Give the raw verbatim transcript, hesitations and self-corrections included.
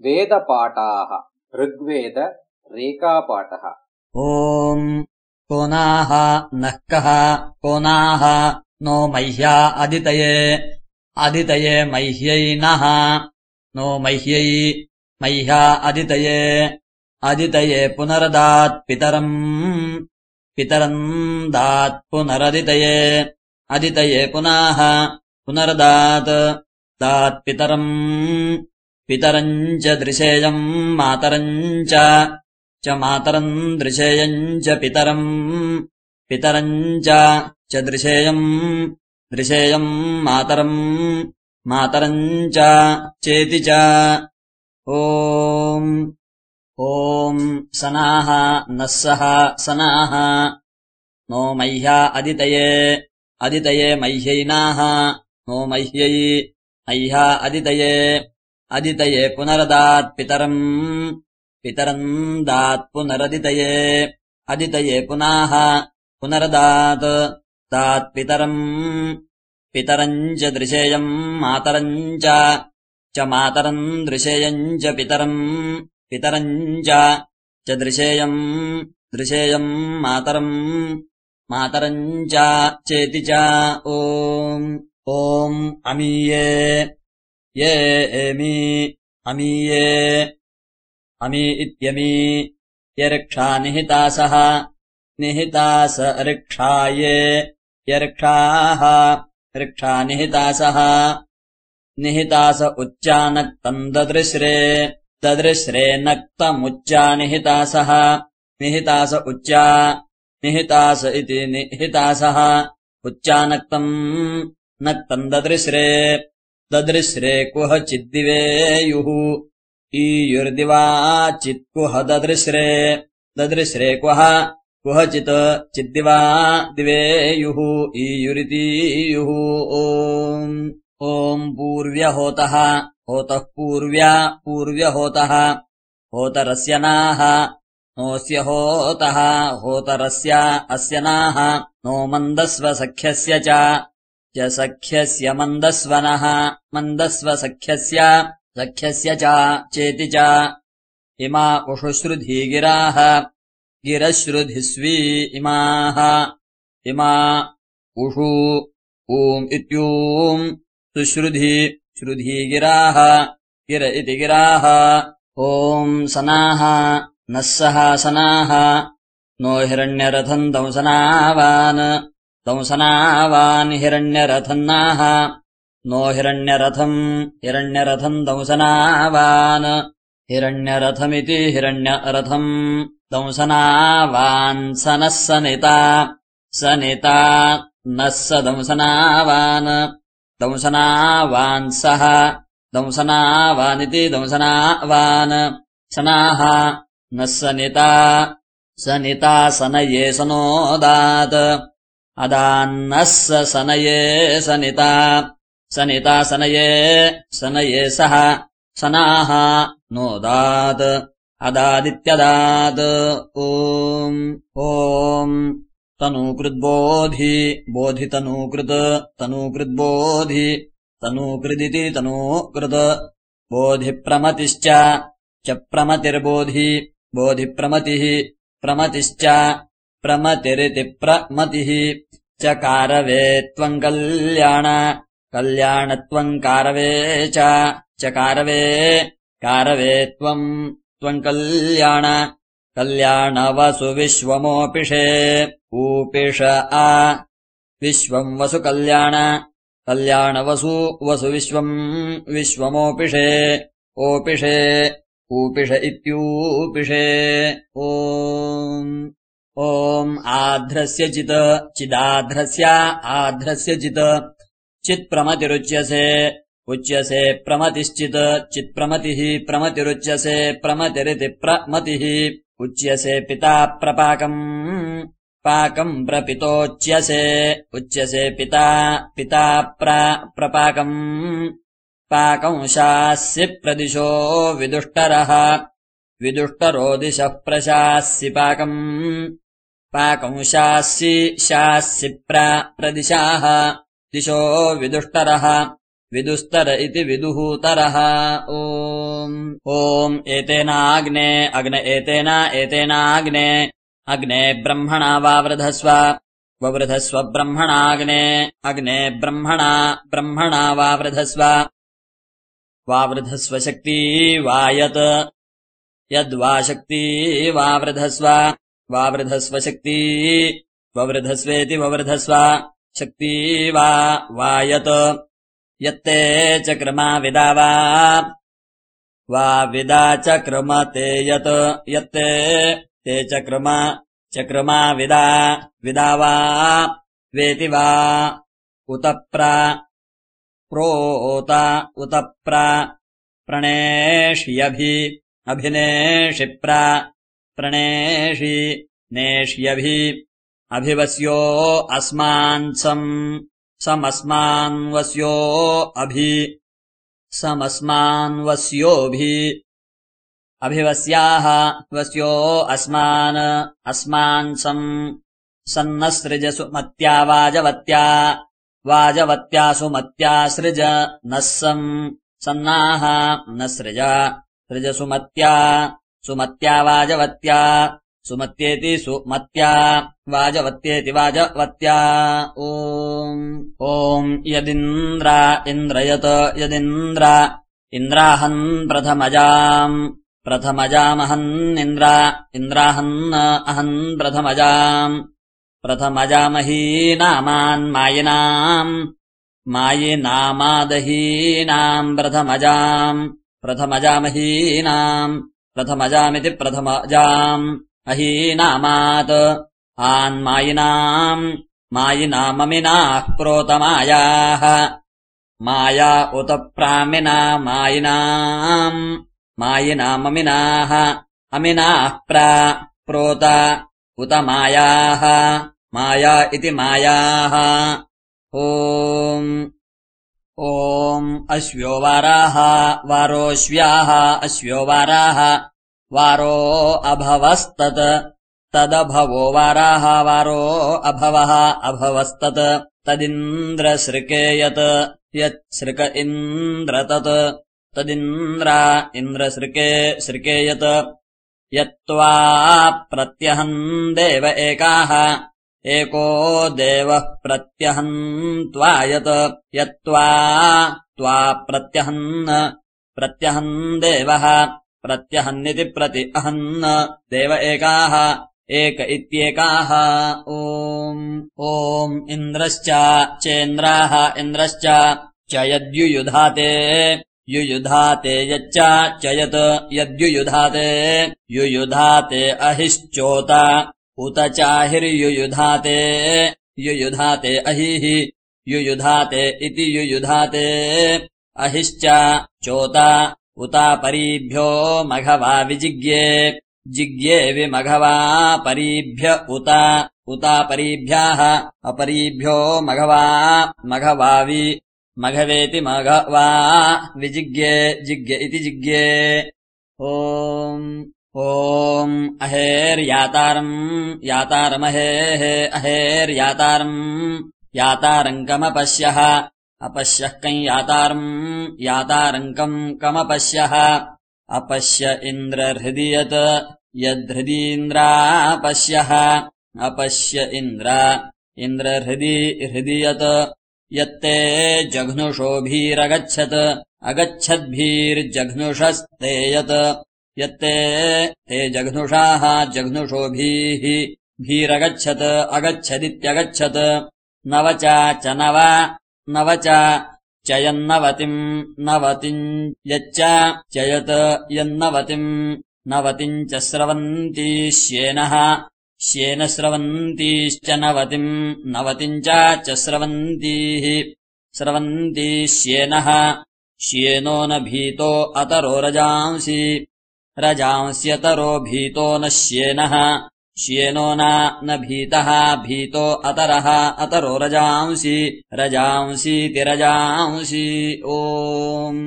वेदपाठाः ऋग्वेद रेखापाठः। ॐ कोनाः नः कः कोनाः नो मह्या अदितये अदितये मह्यै नः नो मह्यै मह्या अदितये अदितये पुनरदात् पितरम् पितरम् दात् पुनरदितये अदितये पुनः पुनरदात् दात् पितरम् पितरम् च दृशेयम् मातरम् च च मातरम् दृशेयम् च पितरम् पितरम् च दृशेयम् दृशेयम् मातरम् मातरम् च चेति च। ॐ ॐ सनाः नः सः सनाः नो मह्या अदितये अदितये मह्यैनाः नो मह्यै मह्या अदितये अदितये पुनरदात् पितरम् पितरम् दात् पुनरदितये अदितये पुनः पुनरदात् दात् पितरम् पितरम् च दृशेयम् मातरम् च मातरम् दृशेयम् च पितरम् पितरम् च दृशेयम् दृशेयम् मातरम् मातरम् च चेति च। ॐ ॐ अमीये ये एमि अमीये अमी इत्यमी यर्क्षा निहितासः निहितास ऋक्षाये यर्क्षाः ऋक्षा निहितासः निहितास उच्चानक्तम् ददृश्रे ददृश्रे नक्तमुच्चा निहितासः निहितास उच्चा निहितास इति निहितासः उच्चानक्तम् नक्तम् ददृश्रे ददृश्रे कुह चिद्दिवेयुः ईयुर्दिवा चित्कुह ददृश्रे ददृश्रे कुह कुहचित् चिद्दिवा दिवेयुः ईयुरितीयुः। ॐ ॐ पूर्व्यहोतः होतः पूर्व्या पूर्व्यहोतः होतरस्य नाः नोऽस्य होतः होतरस्य अस्य नाः नो मन्दस्व सख्यस्य च सख्यस्य मन्दस्वनः मन्दस्व सख्यस्य सख्यस्य च चेति च। इमा उषुश्रुधी गिराः गिरश्रुधिस्वी इमाः इमा उषु ऊम् इत्यूम् सुश्रुधी श्रुधी गिराः गिर इति गिराः। ॐ सनाः नः सः सनाः नो हिरण्यरथम् दंसनावान् दंसनावान् हिरण्यरथम् नाः नो हिरण्यरथम् हिरण्यरथम् दंसनावान् हिरण्यरथमिति हिरण्यरथम् दंसनावान् स नः सनिता सनिता नः स दंसनावान् दंसनावान् सः दंसनावानिति दंसनावान् सनाः नः सनिता सनिता सनये सनोदात् अदान्नः स सनये सनिता सनिता सनये सनये सः सनाः नोदात् अदादित्यदात्। ॐ ॐ तनूकृद्बोधि बोधितनूकृत् तनूकृद्बोधि तनूकृदिति तनूकृत् बोधिप्रमतिश्च च प्रमतिर्बोधि बोधिप्रमतिः प्रमतिश्च प्रमतिरिति प्रमतिः च कारवे त्वम् कल्याण कल्याणत्वम् कारवे च कारवे कारवे त्वम् त्वम् कल्याण कल्याणवसु विश्वमोपिषे ऊपिष आ विश्वम् वसु कल्याण कल्याणवसु वसु विश्वम् विश्वमोपिषे ओपिषे ऊपिष इत्यूपिषे। ॐ ॐ आध्रस्य चित् चिदाध्रस्य आध्रस्य चित् चित्प्रमतिरुच्यसे उच्यसे प्रमतिश्चित् चित्प्रमतिः प्रमतिरुच्यसे प्रमतिरिति प्रमतिः उच्यसे पिता प्रपाकम् पाकम् प्रपितोच्यसे उच्यसे पिता पिता प्रपाकम् पाकंशास्यि प्रदिशो विदुष्टरः विदुष्टरो दिशः प्रशास्यि पाकम् पाकंशास्यि शास्यि प्रदिशाः दिशो विदुष्टरः विदुस्तर इति विदुहूतरः। ओम् ओम् एतेनाग्ने अग्न एतेन एतेनाग्ने अग्ने ब्रह्मणा वावृधस्व ववृधस्व ब्रह्मणाग्ने अग्ने ब्रह्मणा ब्रह्मणा वावृधस्व वावृधस्व शक्ति वायत् यद्वा शक्ति वावृधस्व वावृधस्व शक्ति ववृधस्वेति ववृधस्व शक्ति वा वायत् यत्ते चक्रमा विदा वा वा विदा चक्रमते यत् यत्ते ते चक्रमा चक्रमा विदा विदा वा वेति वा उत प्र प्रोत उत प्र प्रणेष्यभि अभिनेषि प्र प्रणेषि नेष्यभि अभिवस्यो अस्मान् सम् समस्मान्वस्यो अभि समस्मान्वस्योभि अभिवस्याः वस्यो अस्मान् अस्मान् सम् सन्नसृजसु मत्या वाजवत्या वाजवत्या सुमत्या सृज नः सम् सन्नाः न सृज सृजसु मत्या सुमत्या वाजवत्या सुमत्येति सुमत्या वाजवत्येति वाजवत्या। ओम् ओम् यदिन्द्र इन्द्रयत् यदिन्द्र इन्द्राहन् प्रथमजाम् प्रथमजामहन्निन्द्र इन्द्राहन् अहन् प्रथमजाम् प्रथमजामहीनामान्मायिनाम् मायिनामादहीनाम् प्रथमजाम् प्रथमजामहीनाम् प्रथमजामिति प्रथमजाम् अहीनामात् आन्मायिनाम् मायिनाममिनाः प्रोतमायाः माया उत प्रामिना मायिनाम् मायिनाममिनाः अमिनाः प्र प्रोत उत मायाः माया इति मायाः। ओम् ओम् अश्व्यो वाराः वारोऽश्व्याः अश्व्यो वाराः वारो अभवस्तत् तदभवो वाराः वारो अभवः अभवस्तत् तदिन्द्रसृके यत् यत्सृक इन्द्र तत् तदिन्द्र इन्द्रसृके सृके यत् यत्त्वा प्रत्यहन् देव एकाः एको देवः प्रत्यहन् त्वा यत् यत्त्वा त्वा प्रत्यहन् प्रत्यहन् देवः प्रत्यहन्निति प्रति अहन् देव एकाः एक इत्येकाः। ओम् ओम् इन्द्रश्च चेन्द्राः इन्द्रश्च च यद्युयुधाते युयुधाते यच्च च यत् यद्युयुधाते युयुधाते अहिश्चोत उत चाहिर्युयुधाते युयुधाते अहिः युयुधाते इति युयुधाते अहिश्च चोत उता परीभ्यो मघवा विजिग्ये जिग्ये विमघवा परीभ्य उत उता परीभ्याः अपरीभ्यो मघवा मघवावि मघवेति मघवा विजिग्ये जिग्ये इति जिग्ये। ओम् ओम् अहेर्यातारम् यातारमहेः अहेर्यातारम् यातारम् कमपश्यः अपश्यः कम् यातारम् यातारङ्कम् कमपश्यः अपश्य इन्द्रहृदि यत् यद्धृदीन्द्रापश्यः अपश्य इन्द्र इन्द्रहृदि हृदि यत् यत्ते जघ्नुषोभिरगच्छत् अगच्छद्भिर्जघ्नुषस्ते यत् यत्ते ते जघ्नुषाः जघ्नुषोभिः भीरगच्छत् अगच्छदित्यगच्छत् नवच च नव नवच च यन्नवतिम् नवतिम् यच्च च यत् यन्नवतिम् नवतिम् च स्रवन्ती श्येनः श्येन स्रवन्तीश्च नवतिम् नवतिम् च स्रवन्तीः स्रवन्ती श्येनः श्येनो न भीतो अतरो रजांसि रजांस्यतरो भीतो न श्येनः श्येनो न भीतः भीतो अतरः अतरो रजांसि रजांसीति रजांसि। ओम्